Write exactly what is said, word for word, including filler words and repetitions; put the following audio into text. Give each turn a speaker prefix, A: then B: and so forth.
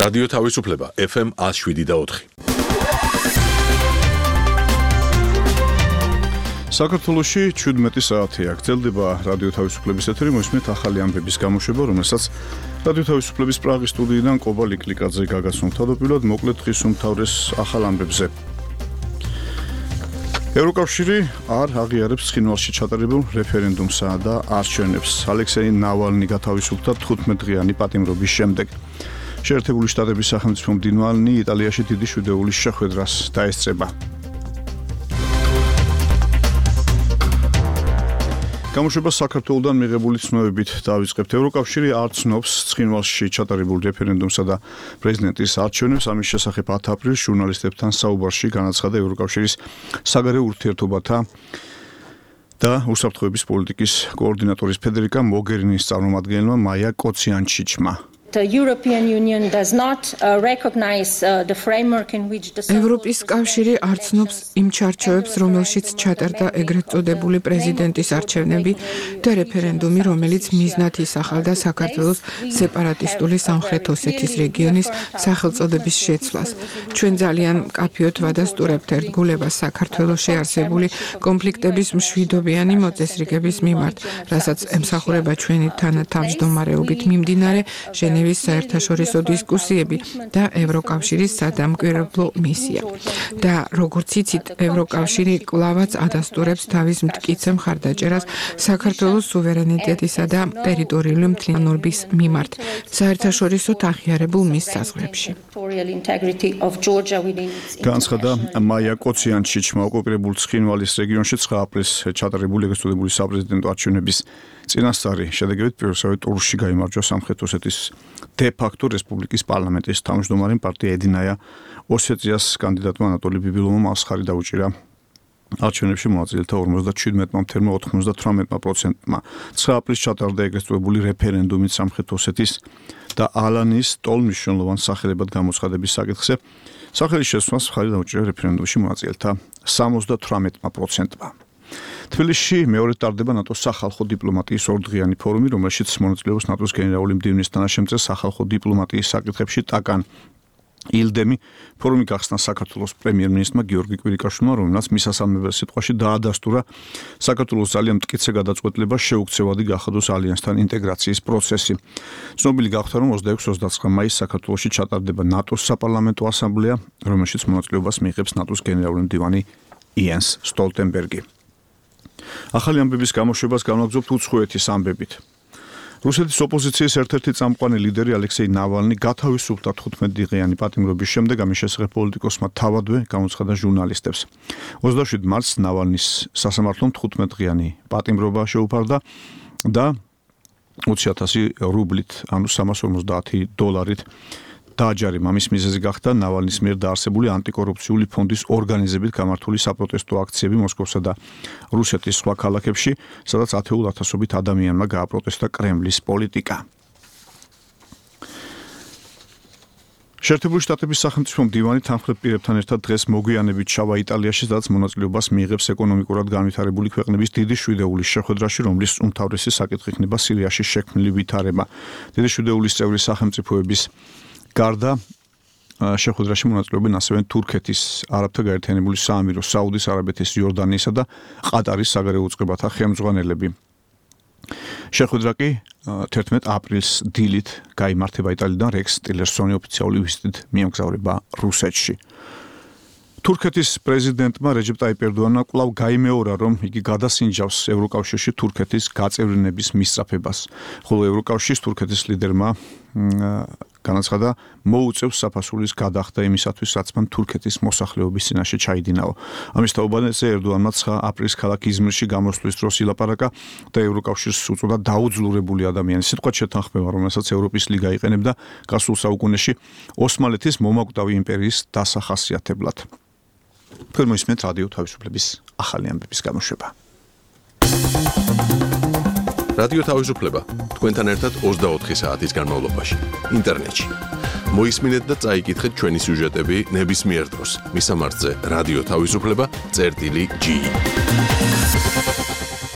A: რადიო თავისუფლება ეფ ემ ათს შვიდი და ოთხი.
B: საქართველოში ჩვიდმეტი საათია გრძელდება რადიო თავისუფლების ეთერი, მოისმენთ ახალი ამბების გამოშვება, რომელსაც რადიო თავისუფლების პრაღის სტუდიიდან ყობა ლიკლიკაძე გაგაცნო. თავდაპირველად მოკლედ დღის უმთავრეს ახალ ამბებზე. ევროკავშირი არ აღიარებს ცხინვალში ჩატარებულ რეფერენდუმსა და არჩევნებს. ალექსეი ნავალნი გათავისუფლდა თხუთმეტდღიანი პატიმრობის შემდეგ. შეერთებული შტატების სახელმწიფო მდივანი იტალიაში დიდი შვიდეულის შეხვედრას დაესწრება. გამოშვება საქართველოდან მიღებული ცნობებით დავიწყებთ. ევროკავშირი არ ცნობს ცხინვალში ჩატარებულ რეფერენდუმსა და პრეზიდენტის არჩევნებს. ამის შესახებ ათი აპრილს ჟურნალისტებთან საუბარში განაცხადა ევროკავშირის საგარეო ურთიერთობათა და უსაფრთხოების პოლიტიკის კოორდინატორის ფედერიკა მოგერინის წარმომადგენელმა მაია კოციანჩიჩმა.
C: The European Union does not uh, recognize uh, the framework in which the
D: ევროპის კავშირი არ ცნობს იმ ჩარჩოებს, რომელშიც ჩატარდა ეგრეთ წოდებული პრეზიდენტის არჩევნები და რეფერენდუმი, რომელიც მიზნად ისახავდა საქართველოს სეპარატისტული სამხრეთ ოსეთის რეგიონის სახელწოდების შეცვლას. ჩვენ ძალიან მკაფიოდ ვადასტურებთ ერთგულებას საქართველოში არსებული კონფლიქტების მშვიდობიანი მოწესრიგების მიმართ, რასაც ემსახურება ჩვენი თანათავმჯდომარეობით მიმდინარე ჟენევის საერთაშორისო დისკუსიები და ევროკავშირის სადამკვირვებლო მისია. და როგორც იცით, ევროკავშირი კვლავაც ადასტურებს თავის მტკიცე მხარდაჭერას საქართველოს სუვერენიტეტისა და ტერიტორიული მთლიანობის მიმართ საერთაშორისო აღიარებულ მის საზღვრებში.
B: განაცხადა მაია კოციანჩიჩმა. ოკუპირებულ ცხინვალის რეგიონში ცხრა აპრილს ჩატარებული ეგრეთ წოდებული საპრეზიდენტო არჩევნების წინასწარი შედეგებით პირველსავე ტურში გაიმარჯვა სამხრეთ ოსეთის დე-ფაქტო რესპუბლიკის პარლამენტის თავმჯდომარე პარტია ედინაია ოსეტიას კანდიდატმა ანატოლი ბიბილოვმა მასხარი დაუჭირა. არჩევნებში მონაწილეთა ორმოცდაჩვიდმეტმა მცდრ ოთხმოცდათვრამეტ პროცენტმა. ცხრა აპრილს ჩატარდა ეგრეთ წოდებული რეფერენდუმი სამხრეთ ოსეთის და ალანის ტოლ-მნიშვნელოვან სახელებად გამოცხადების საკითხზე. სახელის შესვლას მხარი დაუჭირა რეფერენდუმში მონაწილეთა სამოცდათვრამეტ პროცენტმა. თბილისში მეორე ტარდება ნატოს სახალხო დიპლომატიის ორდღიანი ფორუმი, რომელშიც მონაწილეობს ნატოს გენერალური მდივნის თანაშემწე სახალხო დიპლომატიის საკითხებში ტაკან ილდემი. ფორუმი გახსნა საქართველოს პრემიერ-მინისტრმა გიორგი კვირიკაშვილმა, რომელმაც მისასალმებელ სიტყვაში დაადასტურა საქართველოს ძალიან მტკიცე გადაწყვეტილება შეუქცევადი გახადოს ალიანსთან ინტეგრაციის პროცესი. ცნობილი გახდა, რომ ოცდაექვსი ოცდაცხრა მაისს საქართველოში ჩატარდება ნატოს საპარლამენტო ასამბლეა, რომელშიც მონაწილეობას მიიღებს ნატოს გენერალური მდივანი იენს სტოლტენბერგი. ახალი ამბების გამოშვებას განვაგრძობთ უცხოეთის ამბებით. რუსეთის ოპოზიციის ერთ-ერთი წამყვანი ლიდერი ალექსეი ნავალნი გათავისუფლდა თხუთმეტდღიანი პატიმრობის შემდეგ. ამის შესახებ პოლიტიკოსმა თავადვე გამოცხადა ჟურნალისტებს. ოცდაშვიდ მარტს ნავალნის სასამართლომ თხუთმეტდღიანი პატიმრობა შეუფარდა და ოცი ათასი რუბლით, ანუ სამას ორმოცდაათი დოლარით დააჯარიმა. ამის მიზეზი გახდა ნავალნის მიერ დაარსებული ანტიკორუფციული ფონდის ორგანიზებით გამართული საპროტესტო აქციები მოსკოვსა და რუსეთის სხვა ქალაქებში, სადაც ათეულ ათასობით ადამიანმა გააპროტესტა კრემლის პოლიტიკა. შეერთებული შტატების სახელმწიფო მდივანი თანმხლებ პირებთან ერთად დღეს მოგვიანებით ჩავა იტალიაში, სადაც მონაწილეობას მიიღებს ეკონომიკურად განვითარებული ქვეყნების დიდი შვიდეულის შეხვედრაში, რომლის უმთავრესი საკითხი იქნება სირიაში შექმნილი ვითარება. დიდი შვიდეულის წევრი სახელმწიფოების გარდა შეხვედრაში მონაწილეობენ ასევე თურქეთის, არაბთა გაერთიანებული საამირო, საუდის არაბეთის, იორდანიისა და ყატარის საგარეო უწყებათა ხელმძღვანელები. შეხვედრა კი თერთმეტ აპრილს დილით გაიმართება იტალიიდან. რექს ტილერსონი ოფიციალური ვიზიტით მიემგზავრება რუსეთში. თურქეთის პრეზიდენტმა რეჯეპ ტაიპ ერდოანმა კვლავ გაიმეორა, რომ იგი გადასინჯავს ევროკავშირში თურქეთის გაწევრიანების მისწრაფებას, ხოლო ევროკავშირის თურქეთის ლიდერმა განაცხადა, მოუწევს საფასურის გადახდა იმისათვის, რაც მან თურქეთის მოსახლეობის წინაშე ჩაიდინაო. ამის თაობაზე ერდოანმა ცხრა აპრილს ქალაქ იზმირში გამოსვლის დროს ილაპარაკა და ევროკავშირს უწოდა დაუძლურებული ადამიანი. სიტყვა შეთანხმება, რომელსაც ევროპის ლიგა იყენებდა გასულ საუკუნეში ოსმალეთის მომაკვდავი იმპერიის დასახასიათებლად. თქვენ მოისმენთ რადიო თავისუფლების ახალი ამბების გამოშვება.
A: რადიო თავისუფლება თქვენთან ერთად ოცდაოთხი საათის განმავლობაში ინტერნეტში. მოისმინეთ და წაიკითხეთ ჩვენი სიუჟეტები ნებისმიერ დროს. მისამართზე რადიო თავისუფლება წერტილი ჯი.